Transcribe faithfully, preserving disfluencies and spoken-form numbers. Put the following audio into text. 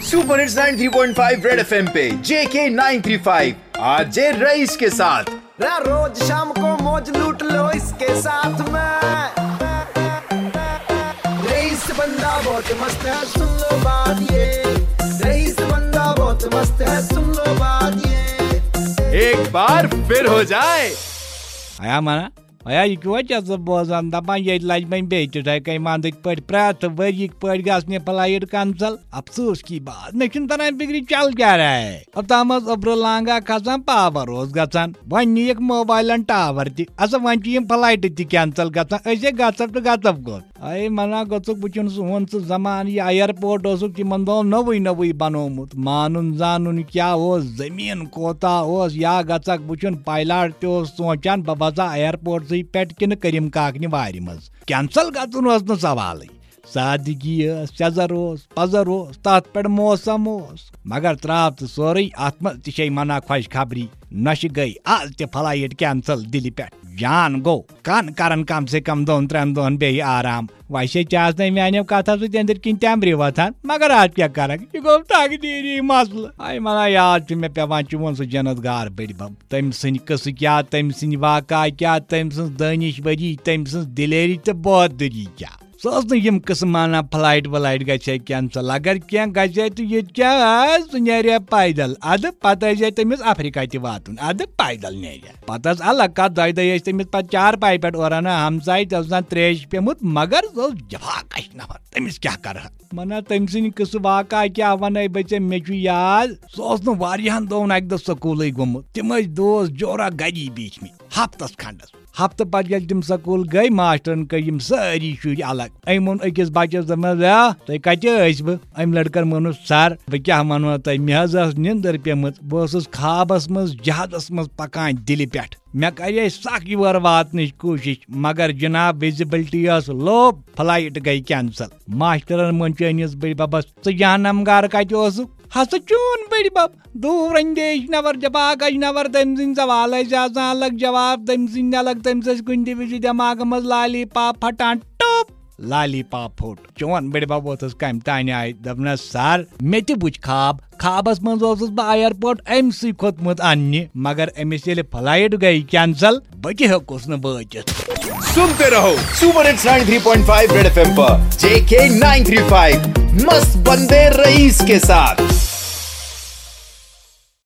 Super hits ninety three point five red FM पे JK nine three five RJ Rais के साथ। रा रोज शाम को मौज लूट लो इसके साथ में। रईस बंदा बहुत मस्त है, सुन लो बात ये। रईस बंदा बहुत मस्त है, सुन लो बात ये। एक बार फिर हो जाए। آیا منا، آیا، یہِ کیٛاہ چھِ ژٕ بوزان؟ دَپان ییٚتہِ لَجہِ وۄنۍ بیٚیہِ تِتھَے کٔنۍ وَندٕکۍ پٲٹھۍ، پرٛٮ۪تھ ؤریِکۍ پٲٹھۍ گژھِ مےٚ فلایٹ کینسل۔ افسوس کی بات، مےٚ چھُنہٕ تران فِکرِ چل کیٛاہ رہا ہے۔ اوٚتام اوس اوٚبرٕ لانگا کھسان، پاور اوس گژھان، وۄنۍ نِیَکھ موبایلَن ٹاور تہِ۔ اَسا وۄنۍ چھِ یِم فلایٹہٕ تہِ کینسل گژھان، أسۍ ہے گژھو تہٕ گژھو کوٚت؟ اے منا گوٚژھُکھ، بہٕ چھُنہٕ سُہ ہُنٛد سُہ زمانہٕ، یہِ ایرپورٹ اوسُکھ تِمن دۄہن نوٚوُے نوٚوُے بنومُت۔ مانُن زانُن کیٛاہ اوس، زٔمیٖن کوتاہ اوس، یا گژھکھ بہٕ چھُن پایلاٹ تہِ اوس سونٛچان بہٕ وسا ایرپورٹسٕے پٮ۪ٹھ کِنہٕ کٔرِم کاکنہِ وارِ منٛز۔ کینسل گژھُن اوس نہٕ سوالٕے۔ سادگی ٲس، سیٚزر اوس، پزر اوس، تتھ پٮ۪ٹھ موسم اوس۔ مگر ترٛاو تہٕ سورُے، اتھ منٛز تہِ چھے منا خۄش خبری۔ نۄشہِ گٔے آز تہِ فلایٹ کینسل دِلہِ پٮ۪ٹھ۔ جان گوٚو، کن کرن کم سے کم دۄن ترٛٮ۪ن دۄہن بیٚیہِ آرام۔ ویسے ژےٚ آسنے میانیو کتھو سۭتۍ أنٛدٕرۍ کِنۍ تٮ۪مبرِ وۄتھان، مگر از کیٛاہ کرکھ؟ یہِ گوٚو تقدیٖری مسلہٕ۔ ہاے منا یاد چھُ مےٚ پٮ۪وان چون سُہ جنت گار بٔڈۍ بب۔ تٔمۍ سٕنٛدۍ قصہٕ کیٛاہ، تٔمۍ سٕنٛدۍ واقعہ کیٛاہ، تٔمۍ سٕنٛز دٲنِش وری، تٔمۍ سٕنٛز دلیری تہٕ بہادری کیٛاہ۔ سۄ ٲس نہٕ یِم قٕصہٕ مانان فلایٹ ولایٹ گژھِ ہے کینسل۔ اگر کینٛہہ گژھِ ہے تہٕ ییٚتہِ کیٛاہ آسہِ، سُہ نیرِ ہے پیدل۔ ادٕ پتہٕ ٲسۍ ہے تٔمِس افریقہ تہِ واتُن، ادٕ پیدل نیرِ ہے۔ پتہٕ ٲس الگ کتھ، دۄیہِ دۄہہِ ٲسۍ تٔمِس پتہٕ چارپایہِ پٮ۪ٹھ اوران ہمسایہِ، تہِ اوس آسان تریش پیومُت، مگر سُہ اوس جفا کش نفر، تٔمِس کیٛاہ کرٕ ہا؟ منا تٔمۍ سٕنٛدِ قٕصہٕ واقعہ کیٛاہ ونَے بہٕ ژےٚ، مےٚ چھُ یاد، سُہ اوس نہٕ واریاہن دۄہن اکہِ دۄہ سکوٗلٕے گوٚمُت۔ تِم ٲسۍ دوس جورا گری بیٖٹھمٕتۍ ہفتس کھنڈس۔ ہفتہٕ پتہٕ ییٚلہِ تِم سکوٗل گٔے، ماسٹرن کٔرۍ یِم سٲری شُرۍ الگ۔ أمۍ ووٚن أکِس بچس، دوٚپنس، "یا، تُہۍ کتہِ ٲسۍ بہٕ؟" أمۍ لڑکن ووٚنُس، "سر، بہٕ کیٛاہ ونو تۄہہِ، مےٚ حظ ٲس نِندٕر پیمٕژ، بہٕ اوسُس خوابس منٛز جہازس منٛز پکان دِلہِ پٮ۪ٹھ۔ مےٚ کرے سکھ یور واتنٕچ کوٗشش، مگر جناب وِزِبلٹی ٲس لو، فلایٹ گٔے کینسل۔" ماسٹرن ووٚن چٲنِس بٔڈۍ ببس، "ژٕ جہنم گار کتہِ اوسُکھ؟" ہسا چون بٔڈۍ بب، دوٗر اندیش نفر، جفاکش نفر، تٔمۍ سٕنٛدۍ سوال ٲسۍ آسان الگ، جواب تٔمۍ سٕنٛدۍ الگ، تٔمِس ٲسۍ کُنہِ تہِ وِزِ دٮ۪ماغہٕ منٛز لالی پاپ پھٹان، ٹوپ، لالی پاپ پھوٚٹ۔ چون بٔڈۍ بب ووتھُس کمہِ تانۍ آیہِ، دوٚپنس، "سر، مےٚ تہِ وُچھ خواب، خوابس منٛز اوسُس بہٕ ایرپورٹ أمۍ سٕے کھوٚتمُت اننہِ، مگر أمِس ییٚلہِ فلایٹ گٔے کینسل، بہٕ تہِ ہیوٚکُس نہٕ وٲتِتھ۔" सुनते रहो super hits ninety three point five red FM पर जेके नाइन थ्री फ़ाइव मस्त बंदे रईस के साथ।